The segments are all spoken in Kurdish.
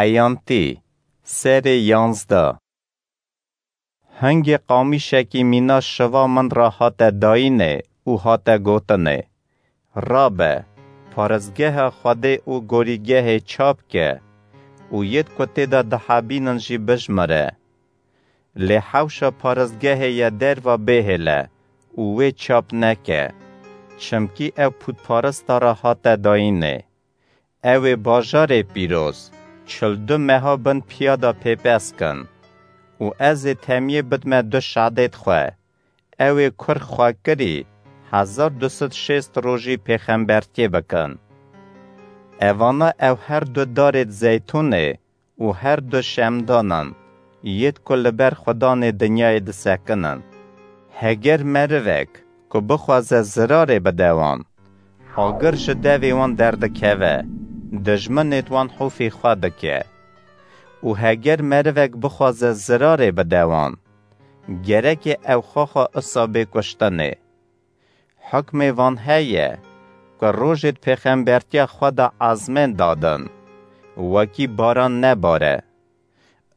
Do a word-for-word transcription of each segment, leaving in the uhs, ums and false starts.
Eyantî, serê yanzdeh. Hingê qamîşekî mîna şiva min re hate dayînê û hate gotinê: Rabe, paristgeha Xwedê û gorîgehê çap ke û yêd ku tê de dihebînin jî bijmire. Lê hewşa paristgehê ye derva bêhêle û wê çap neke, çimkî ew pûtparista re hate dayînê. Ew ê bajarê pîroz, çil du meha bin piya de pêpes kin û ez ê temiyê bidme du şadêd xwe. Ew ê kur xwekirî hezar du sed şêst rojî pêxembertiyê bikin. Evana ew her du darêd zeytûnê û her du şemdanan, yêd ku li ber xudanê dinyayê disekinin. Heger merivek ku bixwaze zirarê bide wan, agir ji devê wan derdikeve, dijminêd wan hûfî xwe dike. Û heger merivek bixwaze zirarê bide wan, gereke ew xwexa isa bê kuştinê. Hukmê van heye ku rojêd pêxembertiya xwe de ezmên dadin, wekî baran nebare.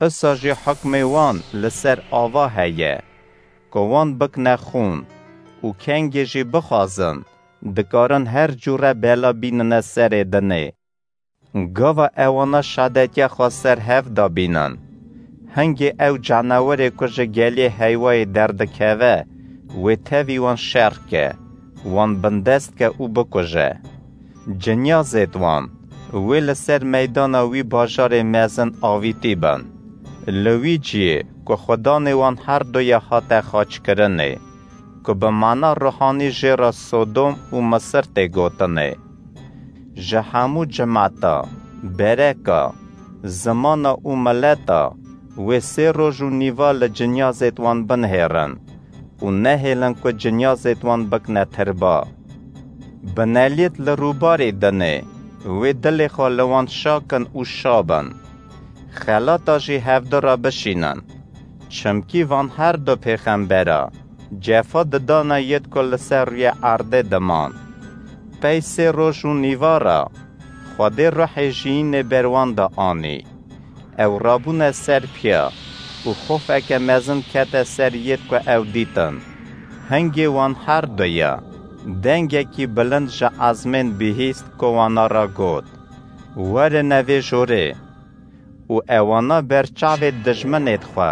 Isa jî hukmê wan li ser ava heye ku wan bikne xûn û kengê jî bixwazin, dikarin her cûre bela bînine serê dinê. Gava ewana şadetiya xwe ser hev dabînin. Hingê ew canewerê ku ji gelê heyvayê derdikeve, wê tevî wan şer ke, wan bindest ke û bikuje. Cinyazêd wan, wê li ser meydana wî bajarê mezin avîtî bin. Li wî ciyê ku xudanê wan her du ye hate xaçkirinê, ku bi mana ruhanî jê re Sodom û Misir tê gotinê. Ji hemû cimeta, bereka, zimana û mileta wê sê roj û nîva li cinyazêd wan binihêrin û nehêlin ku cinyazêd wan bikne tirba. Bineliyêd li rûbarê dinê, wê dilê xwe li wan şakin û şabin. Xelata jî hevdu re bişînin. Çimkî van her du pêxembera cefa didana yêd ku li ser rûyê erdê diman. Pey sê roj û nîva re Xwedê ruhê jiyînê ber wan de anî. Ew rabûne ser piya û xofeke mezin kete ser yêd ku ew dîtin. Hingê wan her du ye dengekî bilind ji ezmên bihîst ku wana re got: Werine vê jorê! Û ewana ber çavê dijminêd xwe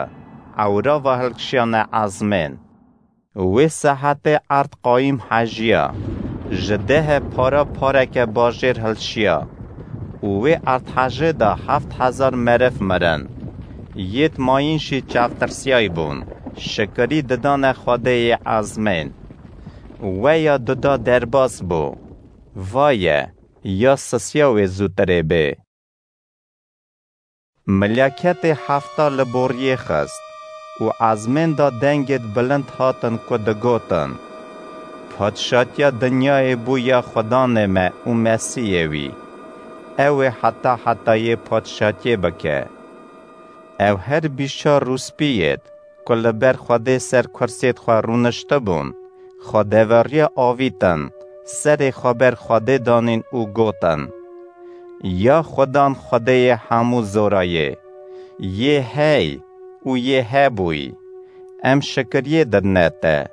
ewra ve hilkişiyane ezmên. Wê saetê erd qayîm hejiya, ji dehê para pareke bajêr hilşiya û wê erdhejê de heft hezar meriv mirin. Yêd mayîn jî çavtirsiyay bûn, şikirî didane Xwedê yê ezmên. Weya duda derbas bû. Vaye, ya sisiya wê zûtirê bê! Milaketê hefta li boriyê xist û ezmên da dengêd bilind hatin ku digotin: Padşatiya dinyayê bû ya Xudanê me û Mesîhê wî. Ew ê heta hetayê padşatiyê bike. Ew her bîst çar rûspiyêd ku li ber Xwedê ser kursiyêd xwe rûniştibûn, xwedeveriya avîtin, serê xwe ber Xwedê danîn û gotin: Ya Xudan Xwedêyê hemû zorayê, yê hey û yê hebûyî, em şikiriyê didine te,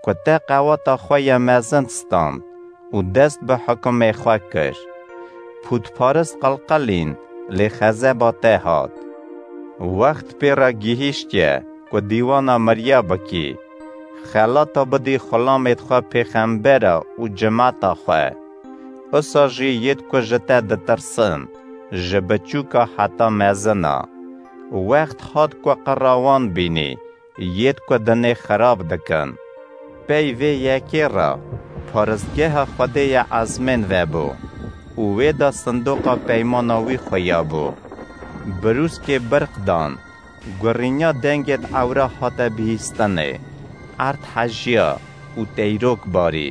ku te qewata xwe ya mezin stand û dest bi hukumê xwe kir. Pûtparist qilqilîn, lê xezeba te hat. Wext pê re gihîştiye ku dîwana miriya bikî, xelata bidî xulamêd xwe pêxembera û cimeta xwe. Usa jî yêd ku ji te ditirsin, ji biçûka heta mezina. Wext hat ku qira wan bînî, yêd ku dinê xirab dikin. Pey vê yekê re paristgeha Xwedê ya ezmên vebû û wê de sindoqa peymana wî xuya bû. Birûskê birq dan, gurînya dengêd ewra hate bihîstinê. Erd hejiya û teyrok barî.